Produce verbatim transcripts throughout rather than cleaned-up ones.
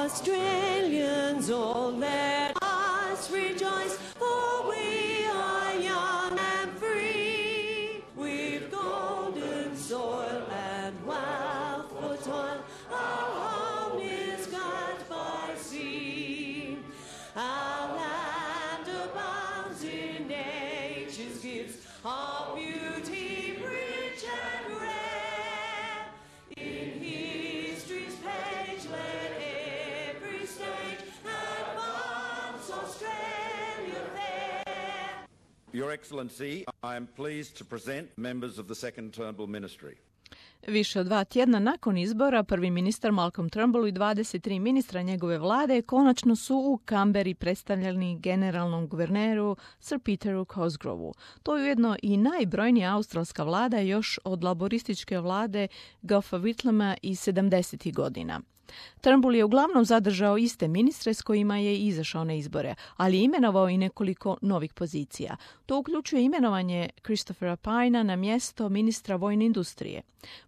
Australians, all let us rejoice, for we are young and free. We've golden soil and wealth for toil. Our home is guarded by sea. Our land abounds in nature's gifts, our beauty rich and rare. In history's page, let every stage advance Australia fair. Your Excellency, I am pleased to present members of the Second Turnbull Ministry. Više od dva tjedna nakon izbora, prvi ministar Malcolm Turnbull i dvadeset tri ministra njegove vlade konačno su u Kamberi predstavljeni generalnom guverneru Sir Peteru Cosgrovu. To je ujedno i najbrojnija australska vlada još od laborističke vlade Goffa Whitlama iz sedamdesetih godina. Turnbull je uglavnom zadržao iste ministre s kojima je izašao na izbore, ali je imenovao i nekoliko novih pozicija. To uključuje imenovanje Christophera Pyna na mjesto ministra vojne industrije.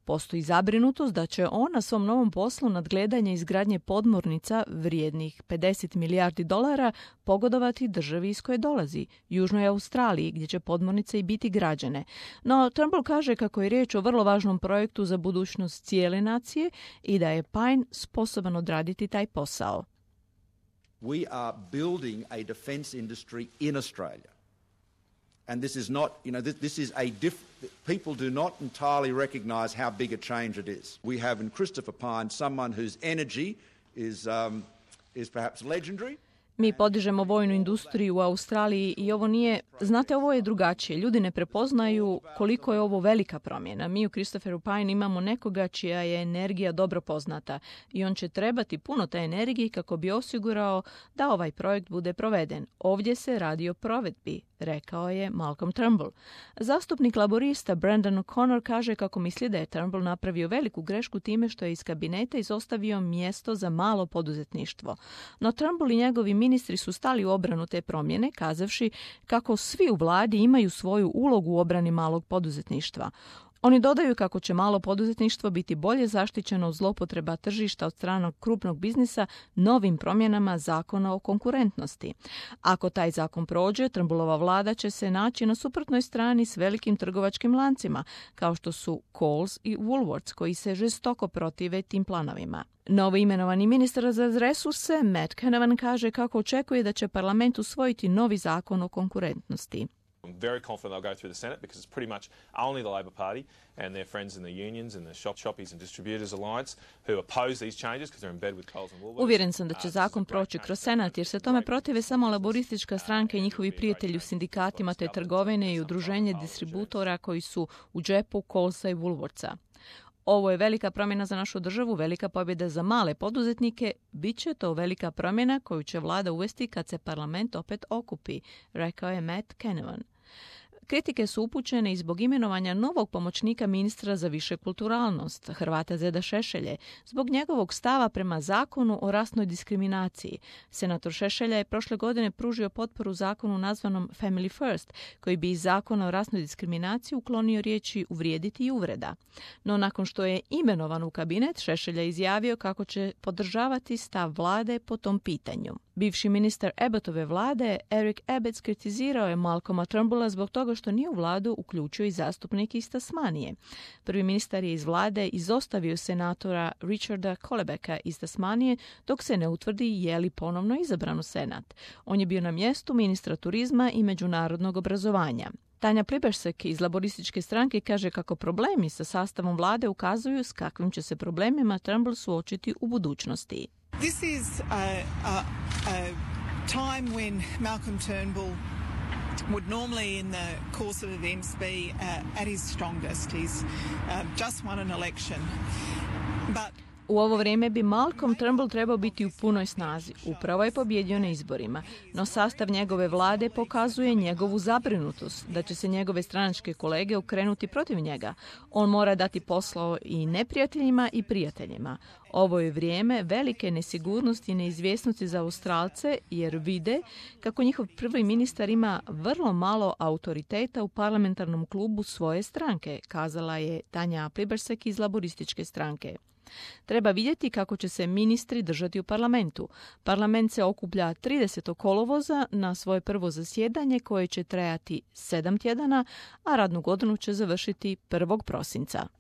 Postoji zabrinutost da će on na svom novom poslu nadgledanje izgradnje podmornica vrijednih pedeset milijardi dolara pogodovati državi iz koje dolazi, Južnoj Australiji, gdje će podmornice i biti građene. No, Turnbull kaže kako je riječ o vrlo važnom projektu za budućnost cijele nacije i da je Pyne sposoban odraditi taj posao. We are building a defence industry in Australia. And this is not, you know, this, this is a diff, people do not entirely recognise how big a change it is. We have in Christopher Pyne someone whose energy is, um, is perhaps legendary. Mi podižemo vojnu industriju u Australiji i ovo nije, znate, ovo je drugačije. Ljudi ne prepoznaju koliko je ovo velika promjena. Mi u Christopheru Pyne imamo nekoga čija je energija dobro poznata i on će trebati puno te energije kako bi osigurao da ovaj projekt bude proveden. Ovdje se radi o provedbi, rekao je Malcolm Turnbull. Zastupnik laborista Brendan O'Connor kaže kako misli da je Turnbull napravio veliku grešku time što je iz kabineta izostavio mjesto za malo poduzetništvo. No Turnbull i njegovi ministri su stali u obranu te promjene, kazavši kako svi u vladi imaju svoju ulogu u obrani malog poduzetništva. Oni dodaju kako će malo poduzetništvo biti bolje zaštićeno od zloupotreba tržišta od strane krupnog biznisa novim promjenama zakona o konkurentnosti. Ako taj zakon prođe, Turnbullova vlada će se naći na suprotnoj strani s velikim trgovačkim lancima, kao što su Coles i Woolworths, koji se žestoko protive tim planovima. Novo imenovani ministar za resurse, Matt Canavan, kaže kako očekuje da će parlament usvojiti novi zakon o konkurentnosti. I'm very confident they'll go through the Senate because it's pretty much only the Labor Party and their friends in the unions and the shop shoppies and distributors alliance who oppose these changes because they're in bed with Coles and Woolworths. Uvjeren sam da će zakon proći kroz Senat jer se tome protive samo laboristička stranka i njihovi prijatelji u sindikatima te trgovine i udruženje distributora koji su u džepu Colesa i Woolworthsa. Ovo je velika promjena za našu državu, velika pobjeda za male poduzetnike. Biće to velika promjena koju će vlada uvesti kad se parlament opet okupi, rekao je Matt Canavan. Kritike su upućene i zbog imenovanja novog pomoćnika ministra za višekulturalnost, Hrvata Zeda Šešelje, zbog njegovog stava prema zakonu o rasnoj diskriminaciji. Senator Šešelja je prošle godine pružio potporu zakonu nazvanom Family First, koji bi iz zakona o rasnoj diskriminaciji uklonio riječi uvrijediti i uvreda. No nakon što je imenovan u kabinet, Šešelja je izjavio kako će podržavati stav vlade po tom pitanju. Bivši ministar Abbottove vlade, Eric Abetz, kritizirao je Malcolma Turnbulla zbog toga što nije u vladu uključio i zastupnike iz Tasmanije. Prvi ministar je iz vlade izostavio senatora Richarda Colebecka iz Tasmanije dok se ne utvrdi je li ponovno izabran u senat. On je bio na mjestu ministra turizma i međunarodnog obrazovanja. Tanja Plibersek iz laborističke stranke kaže kako problemi sa sastavom vlade ukazuju s kakvim će se problemima Turnbull suočiti u budućnosti. This is a, a, a time when Malcolm Turnbull would normally in the course of events be uh, at his strongest. He's uh, just won an election. But U ovo vrijeme bi Malcolm Turnbull trebao biti u punoj snazi. Upravo je pobjedio na izborima, no sastav njegove vlade pokazuje njegovu zabrinutost da će se njegove stranačke kolege okrenuti protiv njega. On mora dati posao i neprijateljima i prijateljima. Ovo je vrijeme velike nesigurnosti i neizvjesnosti za Australce jer vide kako njihov prvi ministar ima vrlo malo autoriteta u parlamentarnom klubu svoje stranke, kazala je Tanja Plibersek iz laborističke stranke. Treba vidjeti kako će se ministri držati u parlamentu. Parlament se okuplja tridesetog kolovoza na svoje prvo zasjedanje koje će trajati sedam tjedana, a radnu godinu će završiti prvog prosinca.